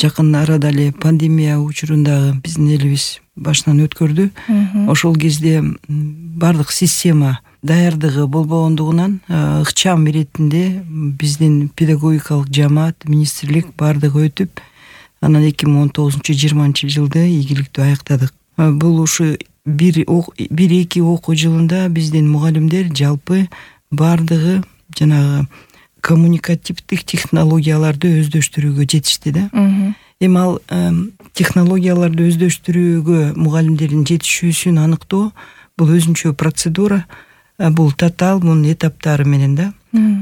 жакын арада эле пандемия учурундагы биздин элибиз башынан өткөрдү. Ошол кезде бардык система даярдыгы болбогондугунан ыкчам иретинде биздин педагогикалык жамаат, министрлик бардыгы өтүп, анан 2019-20 жылды ийгиликтүү аяктадык. Бул ушу 1-2 окуу жылында биздин мугалимдер жалпы бардыгы жанагы коммуникативдик технологияларды өздөштүрүүгө жетишти да. Эми ал технологияларды өздөштүрүүгө мугалимдердин жетишүүсүн аныктоо бул өзүнчө процедура, бул татаал, мунун этаптары менен да.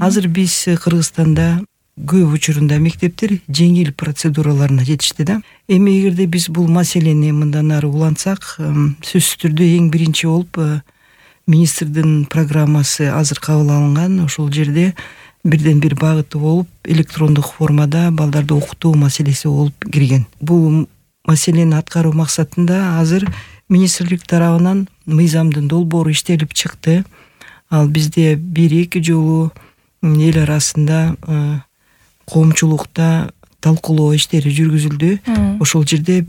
Азыр биз Кыргызстанда көп учурунда мектептер жеңил процедураларына жетишти да. Эми эгерде биз бул маселени мындан ары улантсак, сөзсүз түрдө эң биринчи болуп министрдин программасы азыр кабыл алынган. Ошол жерде бирден бир багыты болуп электрондук формада балдарды окутуу маселеси болуп кирген. Бул маселени аткаруу максатында азыр министрлик тарабынан мыйзамдын долбоору иштелип чыкты. Ал бизде 1-2 жолу эл арасында коомчулукта талкуулоо иштери жүргүзүлдү. Ошол жерде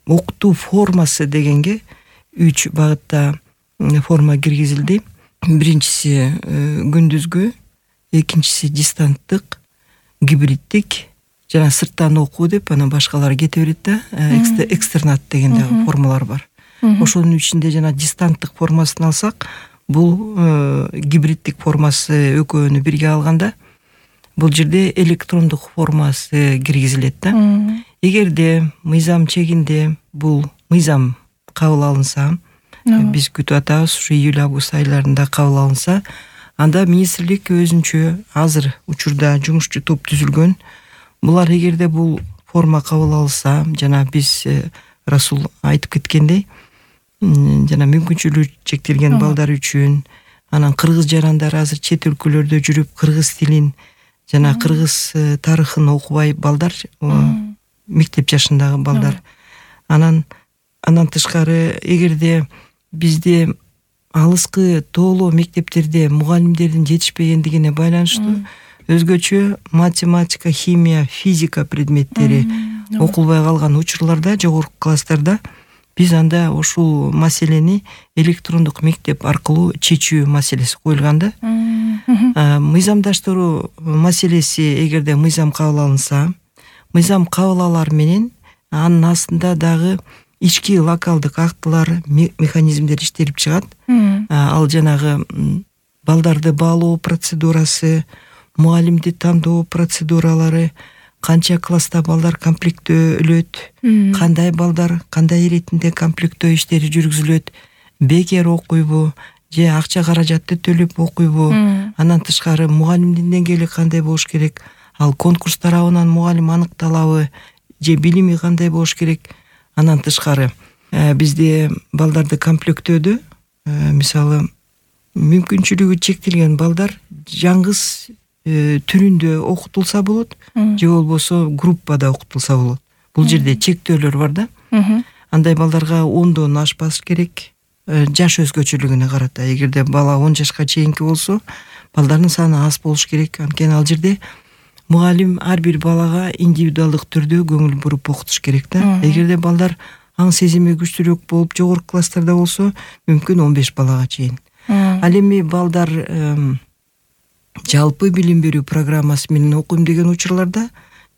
окутуу формасы дегенге 3 багытта форма киргизилди. Биринчиси күндүзгү, экинчиси дистанттык, гибриддик, жана сырттан окуу деп анан башкалары кете берет да, экстернат деген дагы формалар бар. Ошонун ичинде жана дистанттык формасын алсак, бул гибриддик формасы экөөнү бирге алганда бул жерде электрондук формасы киргизилет да. Эгерде мыйзам чегинде бул мыйзам кабыл алынса, биз күтүп атабыз, ушу июль-август айларында кабыл алынса, анда министрлик өзүнчө азыр учурда жумушчу топ түзүлгөн. Булар эгерде бул форма кабыл алса, жана биз Расул айтып кеткендей, жана мүмкүнчүлүгү чектелген балдар үчүн, анан кыргыз жарандары азыр чет өлкөлөрдө жүрүп кыргыз тилин жана кыргыз тарыхын окубай балдар, мектеп жашындагы балдар. Анан тышкары эгерде бизде алыскы тоолоо мектептерде мугалимдердин жетишпегендигине байланыштуу өзгөчө математика, химия, физика предметтери окулбай калган учурларда, жогорку класстарда биз анда ушул маселени электрондук мектеп аркылуу чечүү маселеси коюлган да. Мыйзамдаштыруу маселеси эгерде мыйзам кабыл алынса, мыйзам кабыл алар менен анын астында дагы ички локалдык актылар, механизмдер иштелип чыгат. Ал жанагы балдарды баалоо процедурасы, мугалимди тандоо процедуралары, канча класста балдар комплектөлөт, кандай балдар кандай иретинде комплектөө иштери жүргүзүлөт, бекер окуйбу же акча каражатты төлөп окуйбу, андан тышкары мугалимдин деңгээли кандай болуш керек, ал конкурс тарабынан мугалим аныкталабы же билими кандай болуш керек. Андан тышкары бизде балдарды комплектөөдө мисалы мүмкүнчүлүгү чектелген балдар жаңгыз түрүндө окутулса болот, же болбосо группада окутулса болот. Бул жерде чектөөлөр бар да. Андай балдарга 10дон ашпаш керек, жаш өзгөчөлүгүнө карата. Эгерде бала 10 жашка чейинки болсо, балдардын саны аз болуш керек. Анткени ал жерде мугалим ар бир балага индивидуалдык түрдө көңүл буруп окутуш керек да. Эгерде балдар аң сезими күчтүүрөөк болуп жогорку класстарда болсо, мүмкүн 15 балага чейин. Ал эми балдар жалпы билим берүү программасы менен окуйм деген учурларда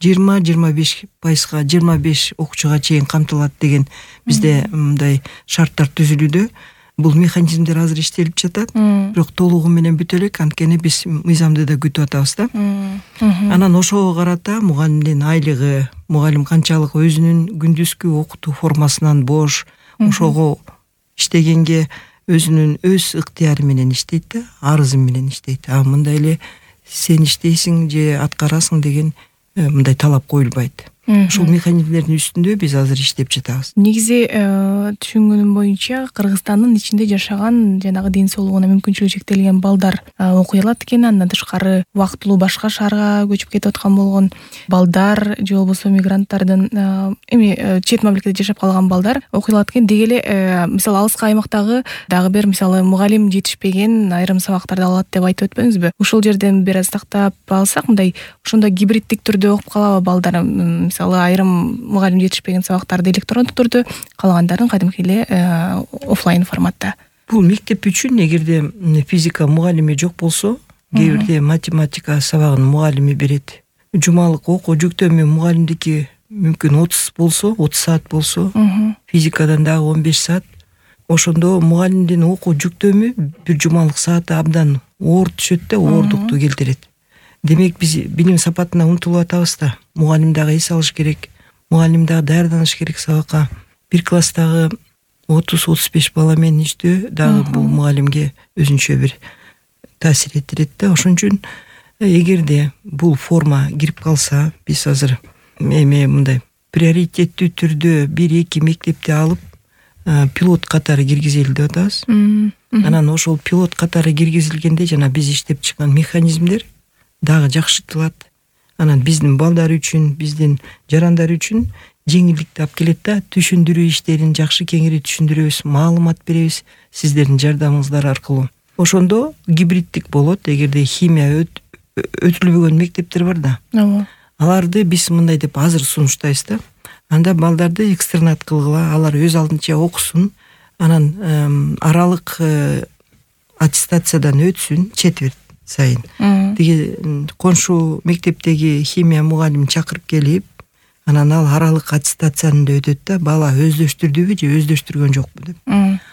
20-25%, 25 окуучуга чейин камтылат деген бизде мындай шарттар түзүлүүдө. Бул механизмдер азыр иштелип жатат, бирок толугу менен бүтө элек, анткени биз мыйзамды да күтүп атабыз да. Анан ошого карата мугалимдин айлыгы, мугалим канчалык өзүнүн күндүзгү окутуу формасынан бош, ошого иштегенге өзүнүн өз ыктыяры менен иштейт да, арызы менен иштейт. Мындай эле сен иштейсиң же аткарасың деген мындай талап коюлбайт. Ушул механизмдердин үстүндө биз азыр иштеп жатабыз. Негизи түшүнгөнүм боюнча Кыргызстандын ичинде жашаган жанагы ден соолугуна мүмкүнчүлүгү чектелген балдар окуй алат экен. Андан тышкары убактылуу башка шаарга көчүп кетип аткан болгон балдар же болбосо мигранттардын эми чет мамлекетте жашап калган балдар окуй алат экен. Деги эле мисалы алыскы аймактагы дагы бир мисалы мугалим жетишпеген айрым сабактарды алат деп айтып өтпөңүзбү? Ушул жерден бир аз тактап алсак, мындай ошондо гибриддик түрдө окуп калабы балдар? мисалы айрым мугалим жетишпеген сабактарды электрондук түрдө, калгандарын кадимки эле офлайн форматта. Бул мектеп үчүн эгерде физика мугалими жок болсо, кээ бирде математика сабагын мугалими берет. Жумалык окуу жүктөмө мугалимдики мүмкүн 30 болсо, 30 саат болсо, физикадан дагы 15 саат. Ошондо мугалимдин окуу жүктөмү бир жумалык сааты абдан оор түшөт да, оордукту келтирет. Демек биз билим сапатына умтулуп атабыз да. Мугалим дагы эс алыш керек, мугалим дагы даярданыш керек сабакка. Бир класстагы 30-35 бала менен иштөө дагы бул мугалимге өзүнчө бир таасир этирет да. Ошон үчүн эгерде бул форма кирип калса, биз азыр мындай приоритеттүү түрдө 1-2 мектепти алып пилот катары киргизели деп атабыз. Анан ошол пилот катары киргизилгенде жана биз иштеп чыккан механизмдер дагы жакшыртылат. Анан биздин балдар үчүн, биздин жарандар үчүн жеңилдикти алып келет да. Түшүндүрүү иштерин жакшы кеңири түшүндүрөбүз, маалымат беребиз сиздердин жардамыңыздар аркылуу. Ошондо гибриддик болот. Эгерде химия өтүлбөгөн мектептер бар да. Аларды биз мындай деп азыр сунуштайбыз да. Анда балдарды экстернат кылгыла, алар өз алдынча окусун, анан аралык аттестациядан өтсүн четверть сайын. Тиги коншу мектептеги химия мугалим чакырып келип, анан ал аралык аттестацияны да өтөт да, бала өздөштүрдүбү же өздөштүргөн жокпу деп.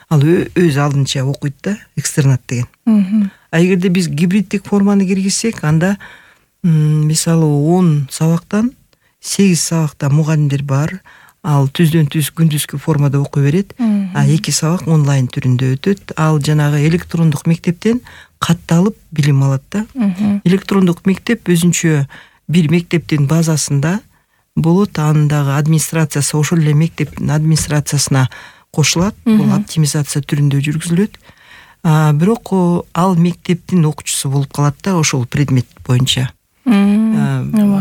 Ал өз алдынча окуйт да, экстернат деген. А эгерде биз гибриддик форманы киргизсек, анда мисалы 10 сабактан 8 сабакта мугалимдер бар. Ал түздөн-түз күндүзгү формада окуй берет. А 2 сабак онлайн түрүндө өтөт. Ал жанагы электрондук мектептен катталып билим алат да. Электрондук мектеп өзүнчө бир мектептин базасында болот, анын дагы администрациясы ошол эле мектептин администрациясына кошулат. Бул оптимизация түрүндө жүргүзүлөт. Бирок ал мектептин окуучусу болуп калат да, ошол предмет боюнча.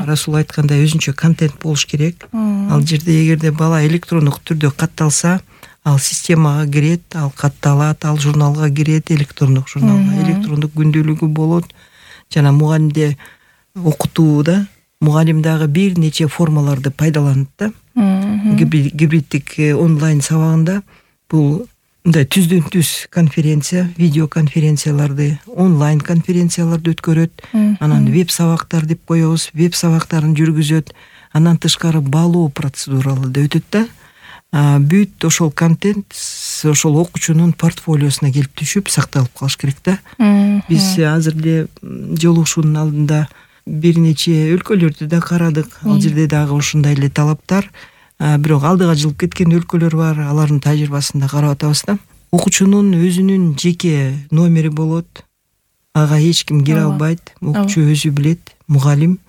Расул айткандай өзүнчө контент болуш керек. Ал жерде эгерде бала электрондук түрдө катталса, ал системага кирет, ал катталат, ал журналга кирет, электрондук журналга, электрондук күндөлүгү болот. Жана мугалимде окутууда мугалим дагы бир нече формаларды пайдаланат да. Гибриддик онлайн сабагында бул мындай түздөн-түз конференция, видео конференцияларды, онлайн конференцияларды өткөрөт. Анан веб сабактар деп коебуз, веб сабактарын жүргүзөт. Андан тышкары баалоо процедуралары да өтөт да. Бүт ошол контент ошол окуучунун портфолиосуна келип түшүп сакталып калыш керек да. Биз азыр эле жолугушуунун алдында бир нече өлкөлөрдү да карадык. Ал жерде дагы ушундай эле талаптар. Бирок алдыга жылып кеткен өлкөлөр бар, алардын тажрыйбасын да карап атабыз да. Окуучунун өзүнүн жеке номери болот. Ага эч ким кире албайт, окуучу өзү билет, мугалим,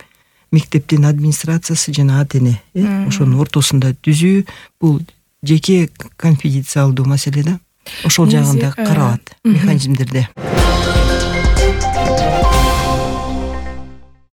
мектептин администрациясы жана ата-эне, ошонун ортосунда түзүү, бул жеке конфиденциалдуу маселе да. Ошол жагында каралат механизмдерде.